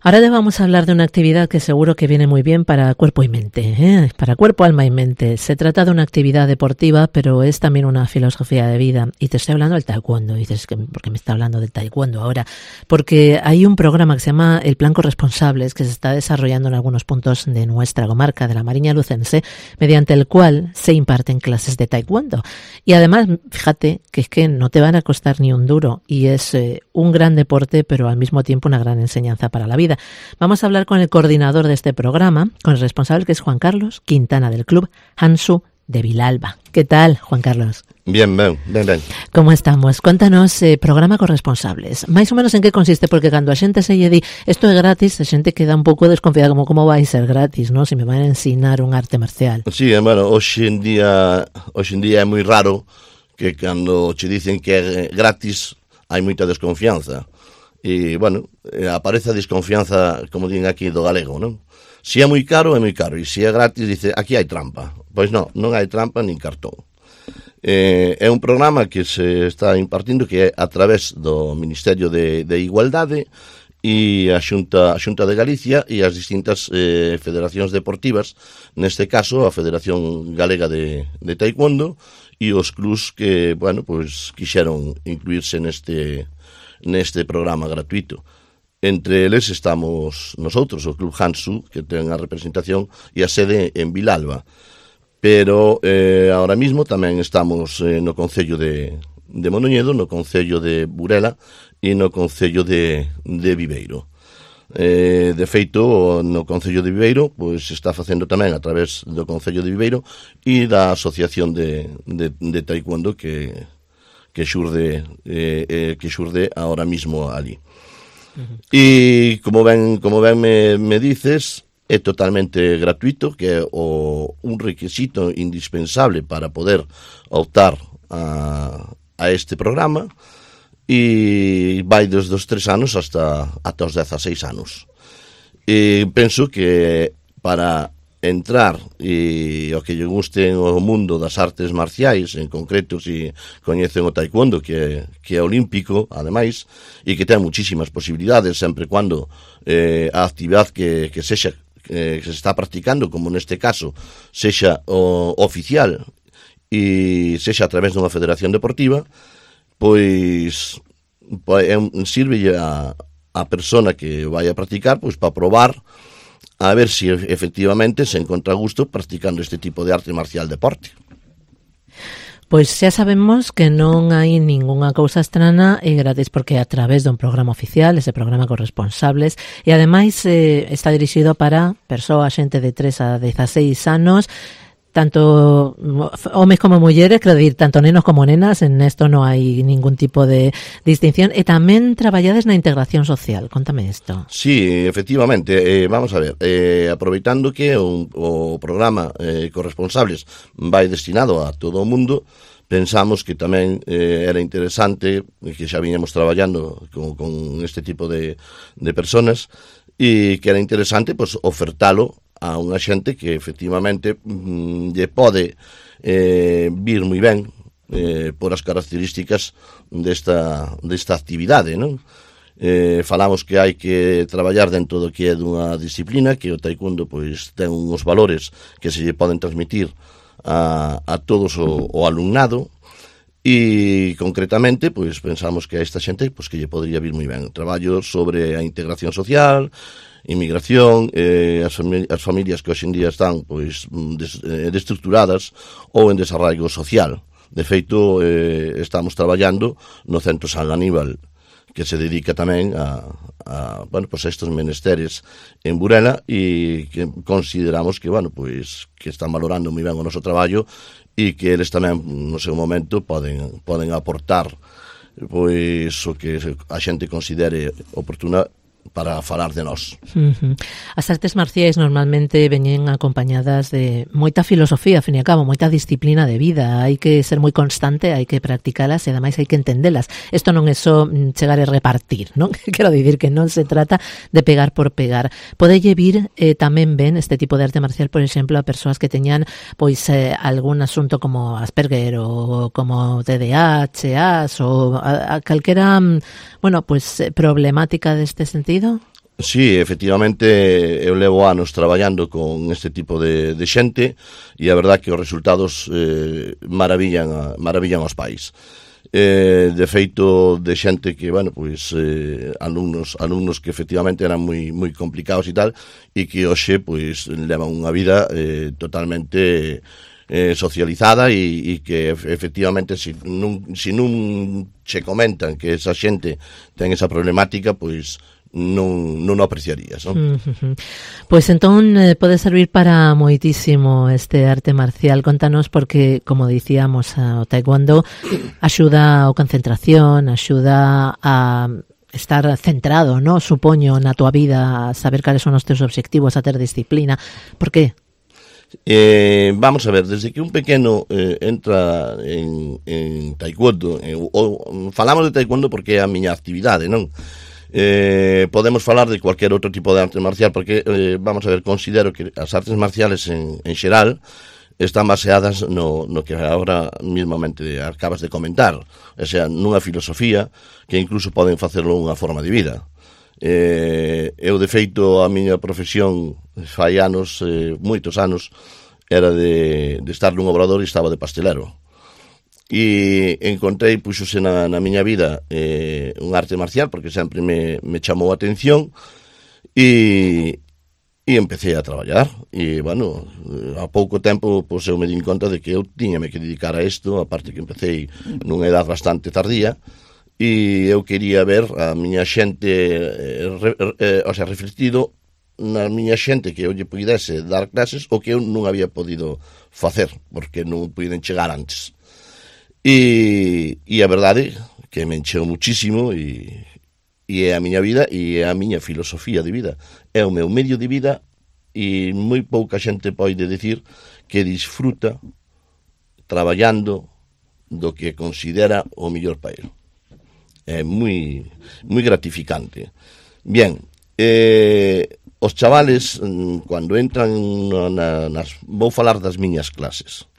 Ahora te vamos a hablar de una actividad que seguro que viene muy bien para cuerpo y mente, para cuerpo, alma y mente. Se trata de una actividad deportiva, pero es también una filosofía de vida. Y te estoy hablando del taekwondo. Y dices, ¿por qué me está hablando del taekwondo ahora? Porque hay un programa que se llama el Plan Corresponsables, que se está desarrollando en algunos puntos de nuestra comarca, de la Mariña Lucense, mediante el cual se imparten clases de taekwondo. Y además, fíjate que es que no te van a costar ni un duro. Y es un gran deporte, pero al mismo tiempo una gran enseñanza para la vida. Vamos a hablar con el coordinador de este programa, con el responsable, que es Juan Carlos Quintana, del Club Hansu de Vilalba. ¿Qué tal, Juan Carlos? Bien. ¿Cómo estamos? Cuéntanos, programa Corresponsables. Máis ou menos en que consiste, porque cando a xente se lle di isto é gratis, a xente queda un pouco desconfiada, como vai ser gratis, ¿no? Se me van a ensinar un arte marcial. Sí, bueno, hoxe en día é moi raro que cando che dicen que é gratis hai moita desconfianza. E, bueno, aparece a desconfianza, como din aquí, do galego, non? Se é moi caro, e se é gratis, dice, aquí hai trampa. Pois non hai trampa nin cartón. É un programa que se está impartindo que é a través do Ministerio de Igualdade e a Xunta de Galicia e as distintas federacións deportivas, neste caso a Federación Galega de Taekwondo e os clubs que, bueno, pois quixeron incluirse neste programa gratuito. Entre eles estamos nosotros, o Club Hansu, que ten a representación e a sede en Vilalba. Pero ahora mismo tamén estamos no Concello de Monoñedo, no Concello de Burela e no Concello de Viveiro. De feito, no Concello de Viveiro pois está facendo tamén a través do Concello de Viveiro e da Asociación de Taekwondo que xurde ahora mismo ali. E como ben me dices, é totalmente gratuito, que é un requisito indispensable para poder optar a este programa, e vai desde os 3 anos ata os 16 anos. E penso que para entrar e o que lle guste o mundo das artes marciais, en concreto se coñecen o taekwondo, que é olímpico, ademais, e que ten muchísimas posibilidades, sempre cando a actividade que sexa que se está practicando, como neste caso, sexa oficial e sexa a través dunha federación deportiva, pois sirve a persona que vai a practicar pois para probar a ver se efectivamente se encontra a gusto practicando este tipo de arte marcial deporte. Pois xa sabemos que non hai ningunha cousa estrana e gratis, porque a través dun programa oficial, ese programa Corresponsables, e ademais está dirixido para persoas, xente de 3 a 16 anos, tanto homes como mulleres, quero dicir, tanto nenos como nenas, en esto non hai ningún tipo de distinción, e tamén traballades na integración social. Contame isto. Sí, efectivamente, vamos a ver, aproveitando que o programa Corresponsables vai destinado a todo o mundo, pensamos que tamén era interesante, que xa viñamos traballando con este tipo de personas, e que era interesante pues, ofertalo a unha xente que efectivamente lle pode vir moi ben por as características desta actividade, non? Falamos que hai que traballar dentro do que é dunha disciplina, que o taekwondo pois ten uns valores que se lle poden transmitir a todos o alumnado, e concretamente pois pensamos que a esta xente pois que lle podría vir moi ben. Traballo sobre a integración social, inmigración, as familias que hoxe en día están pois destructuradas ou en desarraigo social. De feito, estamos traballando no Centro San Aníbal, que se dedica tamén a estes menesteres en Burela, e que consideramos que, pois, que están valorando moi ben o noso traballo e que eles tamén, no seu momento, poden aportar pois o que a xente considere oportuna para falar de nós. As artes marciais normalmente veñen acompañadas de moita filosofía, ao fin e ao cabo, moita disciplina de vida. Hai que ser moi constante, hai que practicalas e ademais hai que entendelas. Isto non é só chegar e repartir, non? Quero dicir que non se trata de pegar por pegar. Podelle vir tamén ben este tipo de arte marcial, por exemplo, a persoas que teñan pois algún asunto como Asperger ou como TDAH ou a calquera, problemática deste sentido. Sí, efectivamente, eu levo anos traballando con este tipo de xente e a verdad que os resultados maravillan aos pais. De feito, de xente que, bueno, pois alumnos que efectivamente eran moi complicados e tal, e que hoxe pois levan unha vida totalmente socializada e que efectivamente se non che comentan que esa xente ten esa problemática, pois non o apreciarías, non? Pois entón pode servir para moitísimo este arte marcial. Contanos, porque, como dicíamos, o taekwondo axuda a concentración, axuda a estar centrado, no? Supoño, na tua vida, a saber cales son os teus obxectivos, a ter disciplina. Por que? Vamos a ver, desde que un pequeno entra en taekwondo, falamos de taekwondo porque é a miña actividade, non? Podemos falar de cualquier outro tipo de arte marcial porque, vamos a ver, considero que as artes marciales en xeral están baseadas no que agora mismamente acabas de comentar, o sea, nunha filosofía que incluso poden facerlo unha forma de vida. Eu, de feito, a miña profesión fai anos, moitos anos, era de estar nun obrador e estaba de pastelero. E encontrei, puxose na miña vida un arte marcial porque sempre me chamou a atención e empecé a traballar e, bueno, a pouco tempo pois eu me din conta de que eu tiñame que dedicar a isto, aparte que empecé nunha edad bastante tardía e eu quería ver a miña xente o sea, reflectido na miña xente que eu lle pudese dar clases o que eu non había podido facer porque non puiden chegar antes. E a verdade que me encheu muchísimo e é a miña vida e é a miña filosofía de vida. É o meu medio de vida e moi pouca xente pode decir que disfruta traballando do que considera o mellor para ele. É moi gratificante. Bien, os chavales, cando entran vou falar das miñas clases.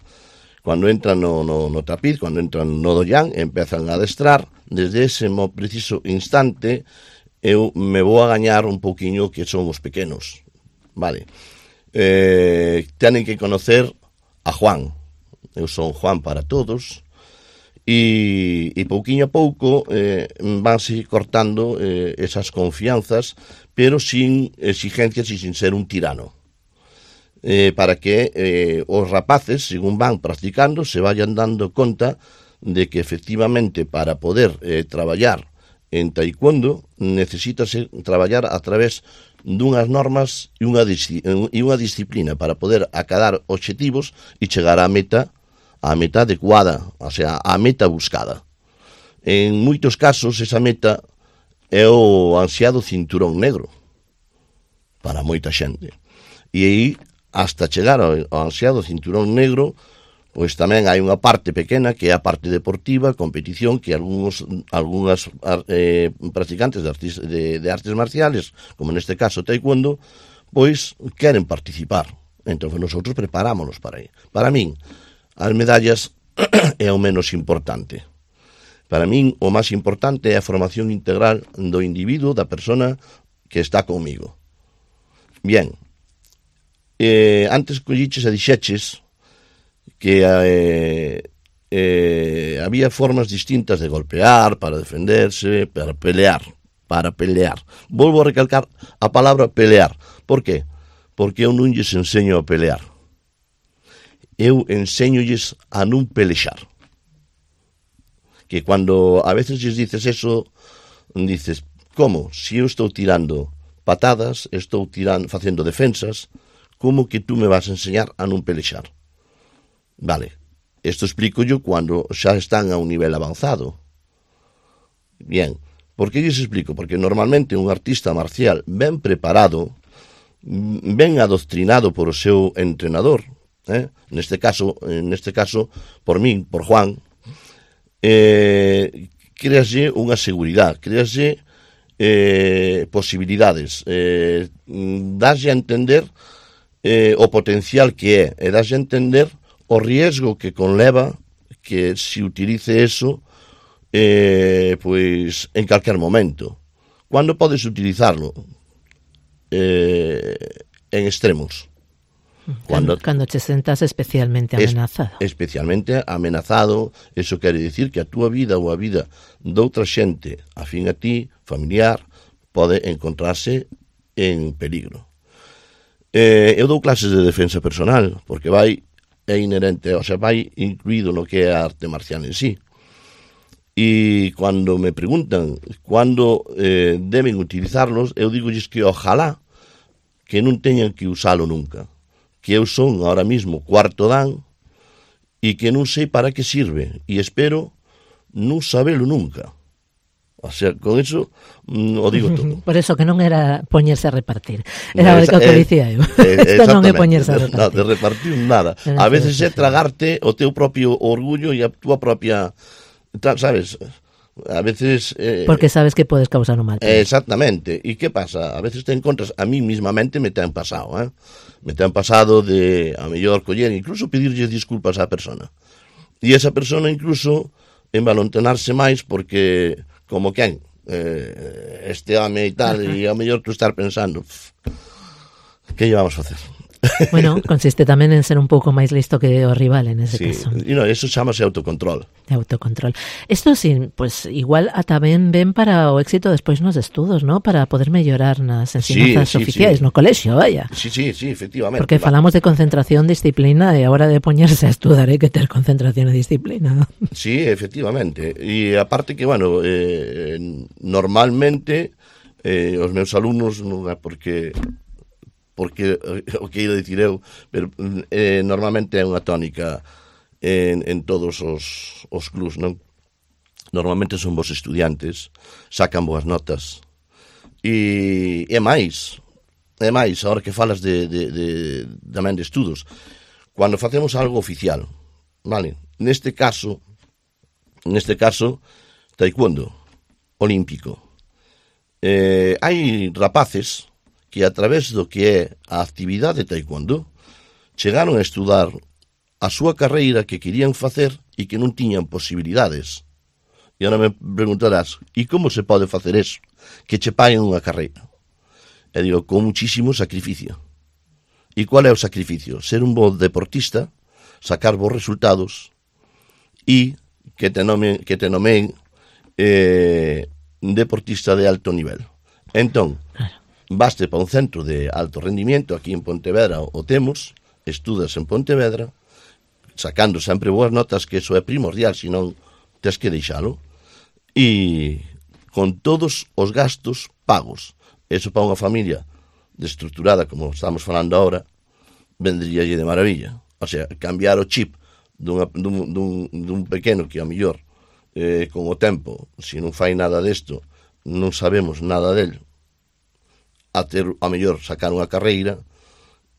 Cando entran no tapiz, cando entran no doyan, empezan a adestrar, desde ese preciso instante eu me vou a gañar un pouquiño que son os pequenos, vale? Tenen que conocer a Juan, eu son Juan para todos, e pouquiño a pouco vanse cortando esas confianzas, pero sin exigencias e sin ser un tirano. Para que os rapaces, según van practicando, se vayan dando conta de que efectivamente para poder traballar en taekwondo necesítase traballar a través dunhas normas e unha disciplina para poder acadar obxectivos e chegar á meta adecuada, o sea, a meta buscada. En moitos casos esa meta é o ansiado cinturón negro para moita xente. E aí hasta chegar ao ansiado cinturón negro, pois tamén hai unha parte pequena que é a parte deportiva, competición, que algunhas practicantes de artes marciales, como neste caso taekwondo, pois queren participar. Entón, nosotros preparámonos para aí. Para min, as medallas é o menos importante. Para min, o máis importante é a formación integral do individuo, da persona que está comigo. Bien, antes colliches e dixeches que había formas distintas de golpear, para defenderse, para pelear. Volvo a recalcar a palabra pelear. Por qué? Porque eu non lles enseño a pelear. Eu enseñolles a non pelexar. Que cando a veces lles dices eso, dices, como? Si eu estou tirando patadas, estou facendo defensas, como que tú me vas a enseñar a non pelexar? Vale, isto explico yo cando xa están a un nivel avanzado. Bien, por que lles explico? Porque normalmente un artista marcial ben preparado, ben adoctrinado por o seu entrenador, neste caso, por min, por Juan, créaslle unha seguridade, créaslle posibilidades, daslle a entender o potencial que é, e daslle a entender o riesgo que conleva que se utilice eso pois en calquer momento. Cando podes utilizarlo? en extremos. Cando te sentas especialmente amenazado. Especialmente amenazado, eso quere dicir que a túa vida ou a vida doutra xente afín a ti, familiar, pode encontrarse en peligro. Eu dou clases de defensa personal, porque é inherente, o sea, vai incluído no que é a arte marcial en sí. E cando me preguntan cando deben utilizarlos, eu digolles que ojalá que non teñan que usalo nunca, que eu son ahora mismo cuarto dan e que non sei para que sirve, e espero non sabelo nunca. O sea, con eso o digo todo. Por eso que non era poñerse a repartir. Era o que dicía eu. Isto non é poñerse a repartir. No, de repartir nada. A veces é tragarte o teu propio orgullo e a túa propia... ¿Sabes? A veces... porque sabes que podes causar un mal. Exactamente. E que pasa? A veces te encontras, a mí mismamente me te han pasado, me te han pasado de, a mellor, coller, incluso pedirlle disculpas á persona. E esa persona incluso envalontonarse máis porque, como quen, este home e tal, e a mellor tú estar pensando, que lle vamos a facer? Bueno, consiste tamén en ser un pouco máis listo que o rival en ese caso. E no, eso chamase autocontrol. Autocontrol. Isto sí, pues igual ata ben para o éxito despois nos estudos, ¿no? Para poder mellorar nas ensinanzas oficiais no colexio, vaya. Sí, efectivamente. Porque falamos de concentración, disciplina, e a hora de poñerse a estudar hai que ter concentración e disciplina. Sí, efectivamente. E aparte que, bueno, normalmente os meus alumnos, non é porque o que ido dicir eu, pero normalmente é unha tónica en todos os clubs, non? Normalmente son vos estudiantes, sacan boas notas, e máis, a hora que falas tamén de estudos, cando facemos algo oficial, vale? Neste caso, taekwondo olímpico. Hai rapaces que a través do que é a actividade de taekwondo chegaron a estudar a súa carreira que querían facer e que non tiñan posibilidades. E agora me preguntarás, e como se pode facer eso? Que che paguen unha carreira. E digo, con muchísimo sacrificio. E qual é o sacrificio? Ser un bo deportista, sacar bons resultados e que te nomeen deportista de alto nivel. Entón, baste para un centro de alto rendimiento, aquí en Pontevedra o temos, estudas en Pontevedra, sacando sempre boas notas, que eso é primordial, senón tes que deixalo, e con todos os gastos pagos. Eso para unha familia destructurada, como estamos falando agora, vendríalle de maravilla. O sea, cambiar o chip dun pequeno que a mellor con o tempo, se non fai nada desto, non sabemos nada del, a ter, a mellor, sacar unha carreira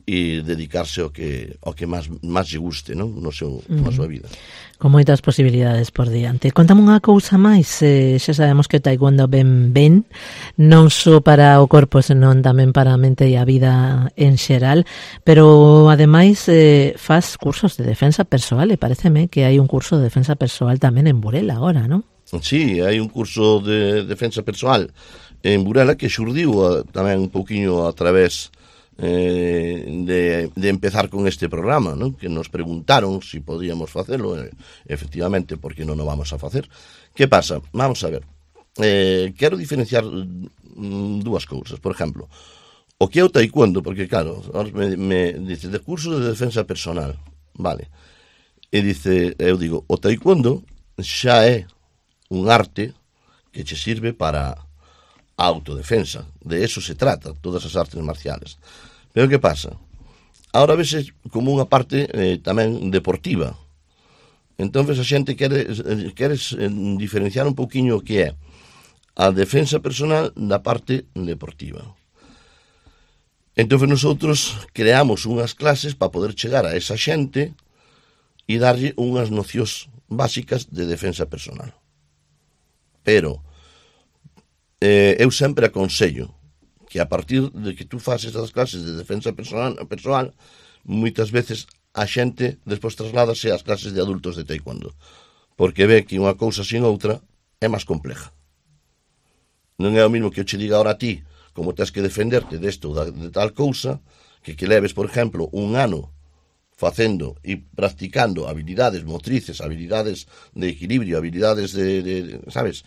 e dedicarse ao que máis lle guste, non? Na súa vida. Con moitas posibilidades por diante. Contame unha cousa máis, xa sabemos que o taekwondo ben, non só para o corpo, senón tamén para a mente e a vida en xeral, pero ademais faz cursos de defensa persoal, e pareceme que hai un curso de defensa persoal tamén en Burela agora, non? Sí, hai un curso de defensa persoal en Burela que xurdiu tamén un pouquiño a través de empezar con este programa, ¿no? Que nos preguntaron si podíamos facelo, efectivamente, porque non o vamos a facer. Que pasa? Vamos a ver, quero diferenciar dúas cousas. Por exemplo, o que é o taekwondo, porque claro, me dice de curso de defensa personal, vale, e dice, eu digo, o taekwondo xa é un arte que che sirve para a autodefensa, de eso se trata, todas as artes marciales. Pero que pasa? Ahora vese como unha parte tamén deportiva. Entonces a xente queres diferenciar un pouquiño o que é a defensa personal da parte deportiva. Entonces nosotros creamos unhas clases para poder chegar a esa xente e darlle unhas nocións básicas de defensa personal. Pero eu sempre aconsello que a partir de que tú faces as clases de defensa personal, moitas veces a xente despois trasládase ás clases de adultos de taekwondo, porque ve que unha cousa sin outra é máis compleja. Non é o mismo que eu che diga ahora a ti como tens que defenderte desto de tal cousa, que leves, por exemplo, un ano facendo e practicando habilidades motrices, habilidades de equilibrio, habilidades sabes?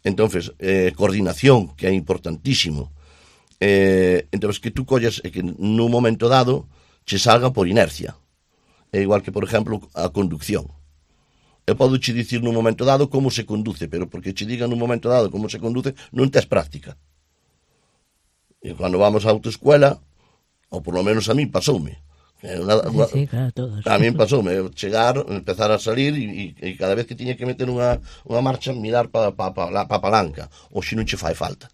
Entonces, coordinación, que é importantísimo. Entonces, que tú collas e que nun momento dado che salga por inercia. É igual que, por exemplo, a conducción. Eu podo che dicir nun momento dado como se conduce, pero porque che diga nun momento dado como se conduce, non tes práctica. E cando vamos á autoescuela, ou por lo menos a mí pasoume. Sí, claro, todos. A mí pasoume chegar, empezar a salir e cada vez que tiña que meter unha marcha, mirar para a palanca, ou se non che fai falta.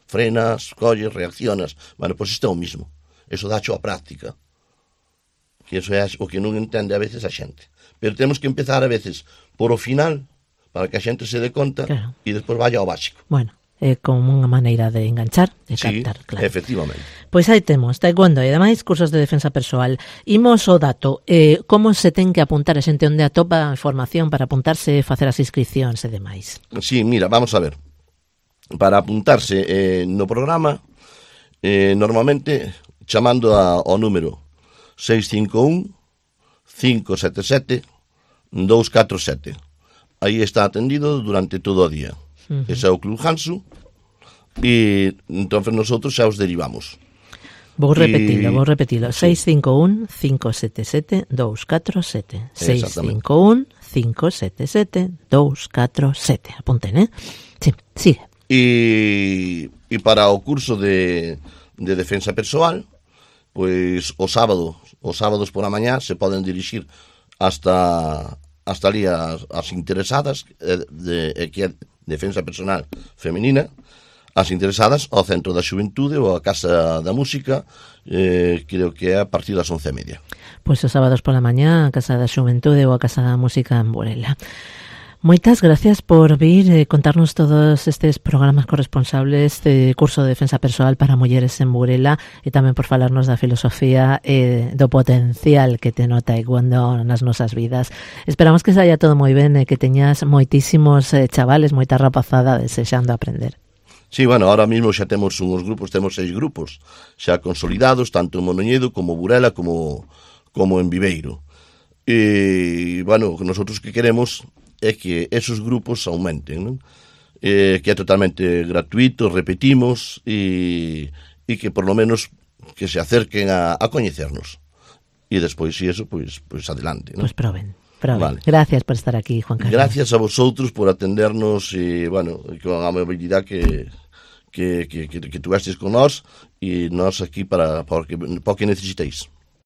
Frenas, colles, reaccionas. Bueno, pois isto é o mismo. Eso dacho a práctica. Que eso é o que non entende a veces a xente. Pero temos que empezar a veces por o final, para que a xente se dé conta, claro, e despois vaya ao básico. Bueno, como unha maneira de enganchar, de captar, claro. Efectivamente. Pois aí temos, taekwondo e ademais cursos de defensa persoal. Imos o dato, como se ten que apuntar a xente onde atopa a información para apuntarse, facer as inscripcións e demais? Sí, mira, vamos a ver. Para apuntarse no programa, normalmente chamando ao número 651-577-247. Aí está atendido durante todo o día. Ese é o Club Hansu e entonces nosotros xa os derivamos. Vou repetilo. 651-577-247. 651-577-247. Apunten, Sí, sigue. E para o curso de defensa persoal, pois os sábados por a mañá se poden dirixir hasta ali as interesadas que é defensa personal femenina, as interesadas ao Centro da Xuventude ou a Casa da Música, creo que é a partir das 11:30. Pois os sábados pola mañá a Casa da Xuventude ou a Casa da Música en Burela. Moitas gracias por vir e contarnos todos estes programas corresponsables de curso de defensa persoal para mulleres en Burela e tamén por falarnos da filosofía e do potencial que ten o taekwondo nas nosas vidas. Esperamos que saia todo moi ben e que teñas moitísimos chavales, moita rapazada desexando aprender. Sí, bueno, ahora mismo xa temos uns grupos, temos 6 grupos xa consolidados, tanto en Monoñedo como Burela como en Viveiro. E, bueno, nosotros que queremos é que esos grupos aumenten, non? Que é totalmente gratuito, repetimos, e que por lo menos que se acerquen a coñecernos. E despois, si eso, pois adelante, non? Pois proben. Vale. Gracias por estar aquí, Juan Carlos. Gracias a vosotros por atendernos e, bueno, con a amabilidade que tuvestes con nós e nós aquí para o que necesitéis.